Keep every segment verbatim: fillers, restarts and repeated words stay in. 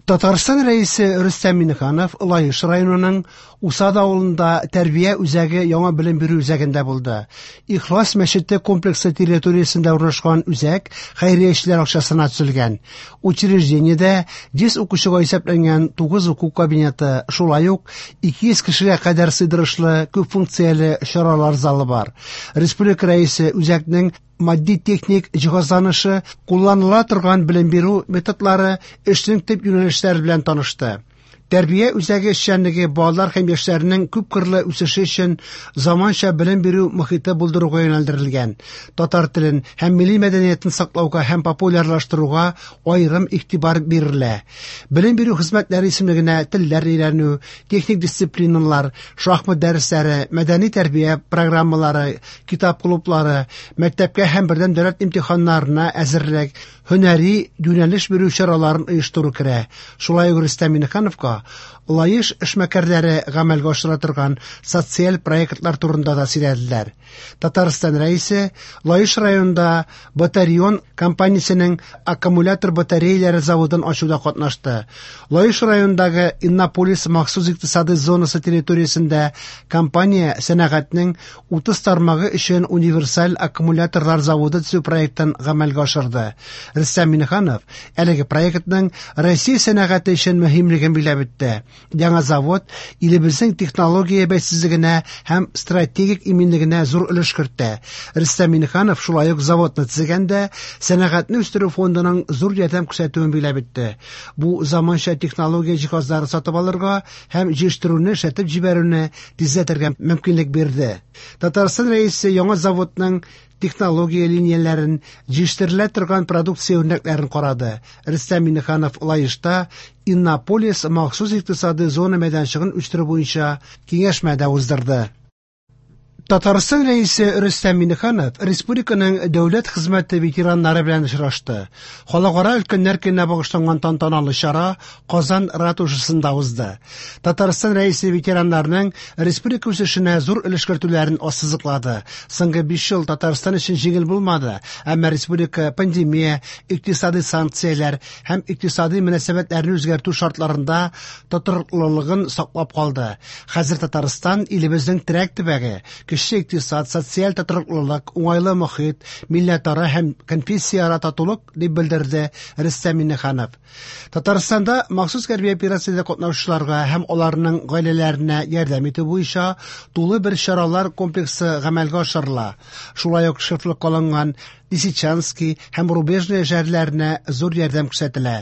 Татарстан Рәисе Рөстәм Миңнеханов Лаеш районының Усад авылында тәрбия үзәге яңа белем бирү үзәгендә булды. Ихлас мәчете комплексы территориясендә урнашкан үзәк хәйриячеләр акчасына төзелгән. Учреждениедә йөз укучыга исәпләнгән тугыз уку кабинеты, шулай ук ике йөз кешегә кадәр сыйдырышлы күп функцияле чаралар залы бар. Республика Рәисе үзәкнең матди-техник җиһазланышы, кулланыла торган белем бирү методлары, эшнең төп юнәлешләре белән танышты. Тәрбия үзәге эшчәнлеге балалар һәм яшьләрнең күпкырлы үсеше өчен заманча белем бирү мохите булдыруга юнәлдерелгән. Татар телен һәм милли мәдәниятен саклауга һәм популярлаштыруга аерым игътибар бирелә. Белем бирү хезмәтләре исемлегенә телләр өйрәнү, техник дисциплиналар, шахмат дәресләре, мәдәни тәрбия программалары, китап клублары, мәктәпкә һәм бердәм дәүләт имтиханнарына әзерлек, һөнәри юнәлеш бирү чараларын оештыру керә. Шулай ук Рөстәм Миңнехановка Лаеш эшмәкәрләре гамәлгә ашыра торган социаль проектлар турында да сөйләделәр. Татарстан Рәисе Лаеш районында Батарион компаниясенең аккумулятор батареялары заводын ачуда катнашты. Лаеш районындагы Иннополис махсус икътисади зонасы территориясендә компания сәнәгатьнең утыз тармагы өчен универсаль аккумуляторлар заводы төзү проектын гамәлгә ашырды. Рөстәм Миңнеханов әлеге проектның Россия сәнәгате өчен мөһимлеген билгеләп үтте. Яңа завод илебезнең технология бәйсезлегенә һәм стратегик иминлегенә зур өлеш кертә. Рөстәм Миңнеханов шулай ук заводны төзегәндә сәнәгатьне үстерү фондының зур ярдәм күрсәтүен билгеләп үтте. Бу заманча технология җиһазлары сатып алырга һәм җыештыруны эшләтеп җибәрүне тизләтергә мөмкинлек бирде. Татарстан Рәисе яңа заводның технология линияләрен, җитештерелә торган продукция үрнәкләрен карады. Рөстәм Миңнеханов Лаешта Иннополис махсус икътисади зона мәйданчыгын үстерү буенча киңәшмә дә уздырды. Татарстан Рәисе Рөстәм Миңнеханов республиканың дәүләт хезмәте ветераннары белән очрашты. Халыкара өлкәннәр көненә багышланган тантаналы чара Казан ратушасында узды. Татарстан Рәисе ветераннарның республика үсешенә зур өлеш кертүләрен ассызыклады. Соңгы биш ел Татарстан өчен җиңел булмады, әмма республика пандемия, икътисади санкцияләр һәм икътисади мөнәсәбәтләрне үзгәртү шартларында тотрыклылыгын саклап калды. Хәзер Татарстан илебезнең терәк төбәге, кеше икътисад, социаль тотрыклылык, уңайлы мохит, милләтара һәм конфессияара татулык дип белдерде Рөстәм Миңнеханов. Татарстанда махсус хәрби операциядә катнашучыларга һәм аларның гаиләләренә ярдәм итү буенча тулы бер чаралар комплексы гамәлгә ашырыла. Шулай ук шефлык алынган Лисичанский һәм Рубежное шәһәрләренә зур ярдәм күрсәтелә.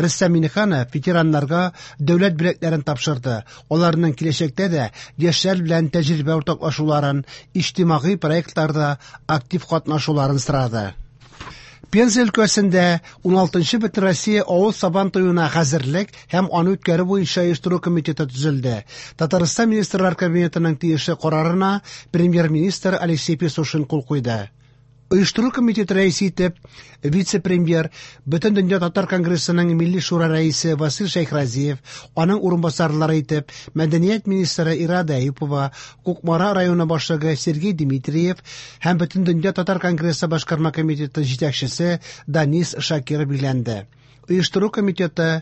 Рөстәм Миңнеханов ветераннарга дәүләт бүләкләрен тапшырды. Аларның киләчәктә дә яшьләр белән тәҗрибә уртаклашуларын, иҗтимагый проектларда актив катнашуларын сорады. Пенза өлкәсендә уналтынчы Бөтенроссия авыл сабан туена хәзерлек һәм аны үткәрү буенча оештыру комитеты төзелде. Татарстан Министрлар Кабинетының тиешле карарына премьер-министр Алексей Песошин кул куйды. Оештыру комитеты рәисе итеп вице-премьер, Бөтендөнья татар конгрессының Милли шура рәисе Васил Шәйхразиев, аның урынбасарлары итеп мәдәният министры Ирада Әюпова, Кукмара районы башлыгы Сергей Дмитриев һәм Бөтендөнья татар конгрессы башкарма комитеты җитәкчесе Данис Шакиров билгеләнде. Оештыру комитеты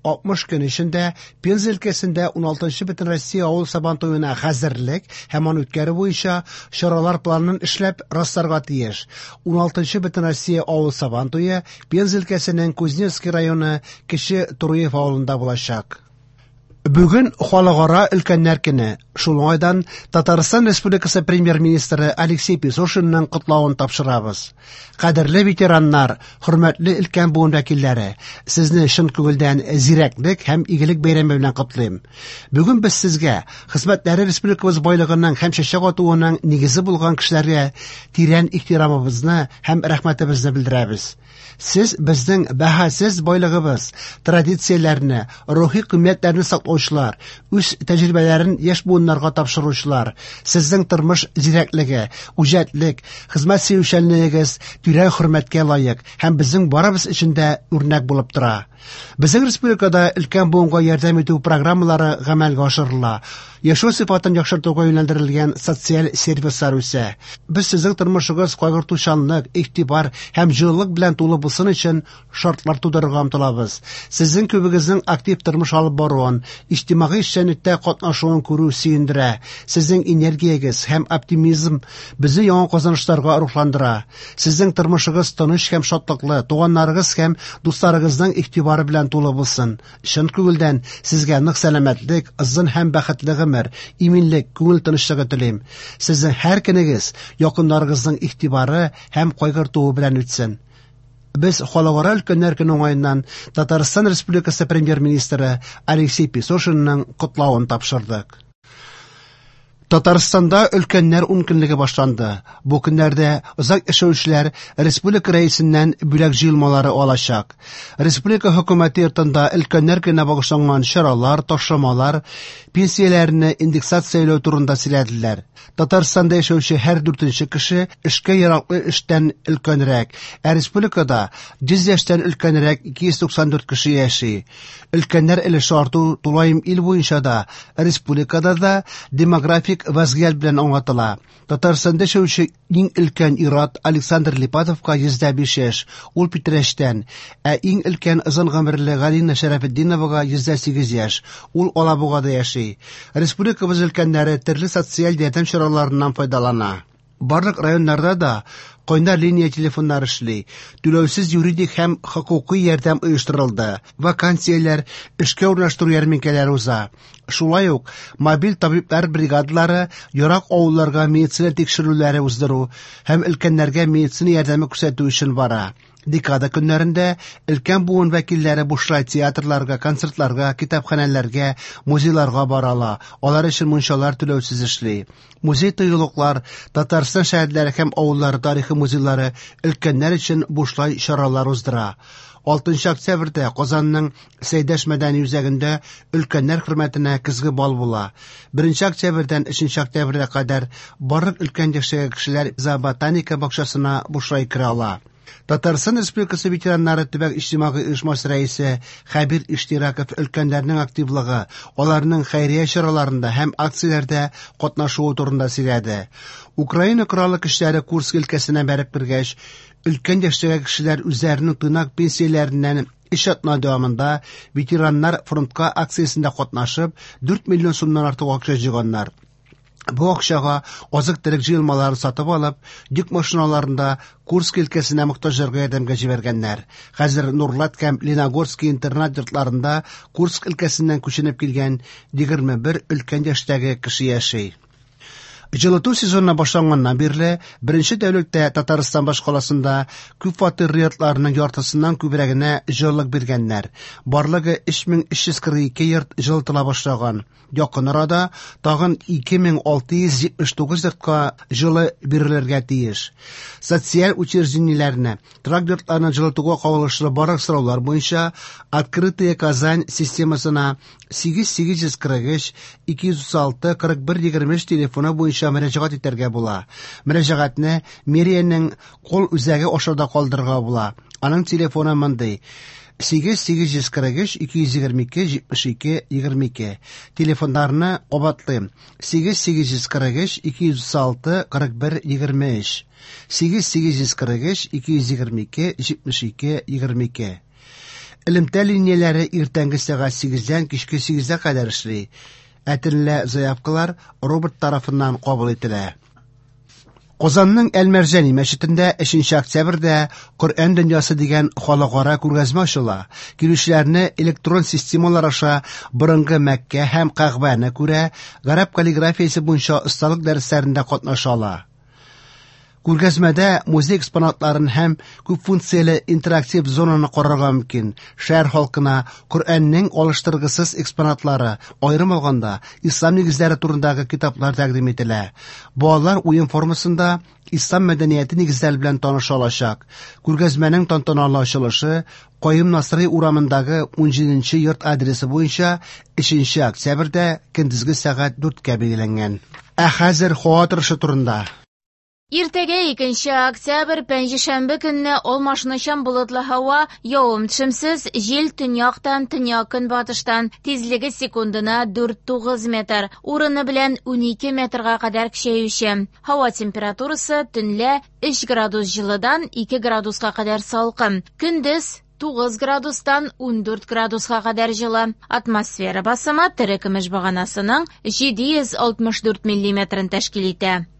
алтмыш көн эчендә Пенза өлкәсендә уналтынчы Бөтенроссия авыл сабан туена хәзерлек һәм аны үткәрү буенча чаралар планын эшләп расларга тиеш. Уналтынчы Бөтенроссия авыл сабан туе Пенза өлкәсенең Кузнецкий районы Кече Туруев авылында булачак. Бүген Халыкара өлкәннәр көне. Шул уңайдан Татарстан Республикасы премьер-министры Алексей Песошинның котлавын тапшырабыз. Кадерле ветераннар, хөрмәтле өлкән буын вәкилләре, сезне чын күңелдән зирәклек һәм игелек бәйрәме белән котлыйм. Бүген без сезгә хезмәтләре республикабыз байлыгының һәм чәчәк атуының нигезе булган кешеләргә тирән ихтирамыбызны һәм рәхмәтебезне белдерәбез. Сез безнең бәһасез байлыгыбыз, традицияләрне, рухи кыйммәтләрне саклаучы саклаучылар, үз тәҗрибәләрен яшь буыннарга тапшыручылар. Сезнең тормыш зирәклеге, үҗәтлек, хезмәт сөючәнлегегез тирән хөрмәткә лаек һәм безнең барыбыз өчен дә үрнәк булып тора. Безнең республикада өлкән буынга ярдәм итү программалары гамәлгә ашырыла. Яшәү сыйфатын яхшыртуга юнәлдерелгән социаль сервислар үсә. Без сезнең тормышыгыз кайгыртучанлык, игътибар һәм җылылык белән тулы булсын өчен шартлар тудырырга омтылабыз. Сезнең күбегезнең актив тормыш алып баруын, иҗтимагый эшчәнлектә катнашуын күрү сөендерә. Сезнең энергиягез һәм оптимизм безне яңа казанышларга рухландыра. Сезнең тормышыгыз тыныч һәм шатлыклы, туганнарыгыз һәм дусларыгызның игътибары белән тулы булсын. Чын күңелдән сезгә нык сәламәтлек, озын һәм бәхетле гомер, иминлек, күңел тынычлыгы телим. Сезнең һәр көнегез якыннарыгызның игътибары һәм кайгыртуы белән үтсен. Без Халыкара өлкәннәр көне уңаеннан Татарстан Республикасы Премьер-министры Алексей Песошинның котлавын тапшырдык. Татарстанда өлкәннәр ункөнлеге башланды. Бу көннәрдә озак яшәүчеләр республика рәисеннән бүләк җыелмалары алачак. Республика хөкүмәте йортында өлкәннәр көненә багышланган чаралар, ташламалар, пенсияләрне индексацияләү турында сөйләделәр. Татарстанда яшәүче һәр дүртенче кеше эшкә яраклы эштән өлкәнрәк, ә республикада йөз яшьтән өлкәнрәк ике йөз туксан дүрт кеше яши. Өлкәннәр өлеше арту тулаем ил буенча да, республикада да демографик вазгыять белән аңлатыла. Татарстанда яшәүче иң өлкән ир-ат Александр Липатовка йөз дә биш яшь, ул Питрәчтән, ә иң өлкән озын гомерле Галина Шәрәфетдиновага йөз дә сигез яшь, ул Алабугада яши. Республикабыз өлкәннәре төрле социаль ярдәм чараларыннан файдалана. Барлык районнарда да кайнар линия телефоннары эшли, түләүсез юридик һәм хокукый ярдәм оештырылды, вакансияләр, эшкә урнаштыру ярминкәләре уза. Шулай ук мобиль табиблар бригадалары ерак авылларга медицина тикшерүләре уздыру һәм өлкәннәргә медицина ярдәме күрсәтү өчен бара. Декада көннәрендә өлкән буын вәкилләре бушлай театрларга, концертларга, китапханәләргә, музейларга бара ала. Алар өчен мунчалар түләүсез эшли. Музей тыюлыклар, Татарстан шәһәрләре һәм авыллары тарихы музейлары өлкәннәр өчен бушлай чаралар уздыра. Алтынчы октябрьдә Казанның Сәйдәш мәдәни үзәгендә өлкәннәр хөрмәтенә көзге бал була. Беренче октябрьдән өченче октябрьгә кадәр барлык өлкән яшьтәге кешеләр зооботаника бакчасына бушлай керә ала. Татарстан Республикасы ветераннары төбәк иҗтимагый оешмасы рәисе Хәбир Иштираков өлкәннәрнең активлыгы, аларның хәйрия чараларында һәм акцияләрдә катнашуы турында сөйләде. Украина Кораллы көчләре Курск өлкәсенә бәреп кергәч, өлкән яшьтәге кешеләр үзләренең тыйнак пенсияләреннән өч атна дәвамында ветераннар фронтка акциясендә катнашып, дүрт миллион сумнан артык акча җыйганнар. Бу акчага азык-төлек җыелмалары сатып алып, йөк машиналарында Курск өлкәсенә мохтаҗларга ярдәмгә җибәргәннәр. Хәзер Нурлат һәм Леногорский интернат йортларында Курск өлкәсеннән күченеп килгән егерме бер өлкән яшьтәге кеше яши. Җылыту сезоны башланганнан бирле беренче тәүлектә Татарстан башкаласында күп фатирлы йортларның яртысыннан күбрәгенә җылылык биргәннәр. Барлыгы өч мең өч йөз кырык ике йорт җылытыла башлаган. Якын арада тагын ике мең алты йөз җитмеш тугыз йортка җылы бирелергә тиеш. Социаль учреждениеләрне, торак йортларны җылытуга кагылышлы барлык сораулар буенча Открытая Казань системасына сигез сигез йөз кырык өч, ике йөз утыз алты, кырык бер егерме өч телефоны буенча мөрәҗәгать итәргә була. Мөрәҗәгатьне мэриянең кол үзәге аша да калдырырга була. Аның телефоны мондый: сигез сигез йөз кырык өч, ике йөз егерме ике, җитмеш ике, егерме ике. Телефоннарны кабатлыйм: сигез сигез йөз кырык өч, ике йөз утыз алты, кырык бер, егерме өч. Сигез сигез йөз кырык өч, ике йөз егерме ике, җитмеш ике, егерме ике. Элемтә линияләре иртәнге сәгать сигездән кичке сигезгә кадәр эшли. Ә төнлә заявкалар робот тарафыннан кабул ителә. Казанның Әл-Мәрҗани мәчетендә өченче октябрьдә Коръән дөньясы дигән халыкара күргәзмә ачыла. Килүчеләрне электрон системалар аша борынгы Мәккә һәм Кәгъбәне күрә, гарәп каллиграфиясе буенча осталык дәресләрендә катнаша ала. Күргәзмәдә музей экспонатларын һәм күпфункцияле интерактив зонаны карарга мөмкин. Шәһәр халкына Коръәннең алыштыргысыз экспонатлары, аерым алганда, ислам нигезләре турындагы китаплар тәкъдим ителә. Балалар уен формасында ислам мәдәнияте нигезләре белән таныша алачак. Күргәзмәнең тантаналы ачылышы Каюм Насыйри урамындагы унҗиденче йорт адресы буенча өченче октябрьдә көндезге сәгать дүрткә билгеләнгән. Ә хәзер һава торышы турында. Иртәгә икенче октябрь, пәнҗешәмбе көнне алмашынучан болытлы һава, явым-төшемсез, җил төньяктан, төньяк-көнбатыштан, тизлеге секундына дүрт-тугыз метр, урыны белән унике метрга кадәр көчәюче. Һава температурасы төнлә өч градус җылыдан ике градуска кадәр салкын, көндез тугыз градустан ундүрт градуска кадәр җылы. Атмосфера басымы терекөмеш баганасының җиде йөз алтмыш дүрт миллиметрын тәшкил итә.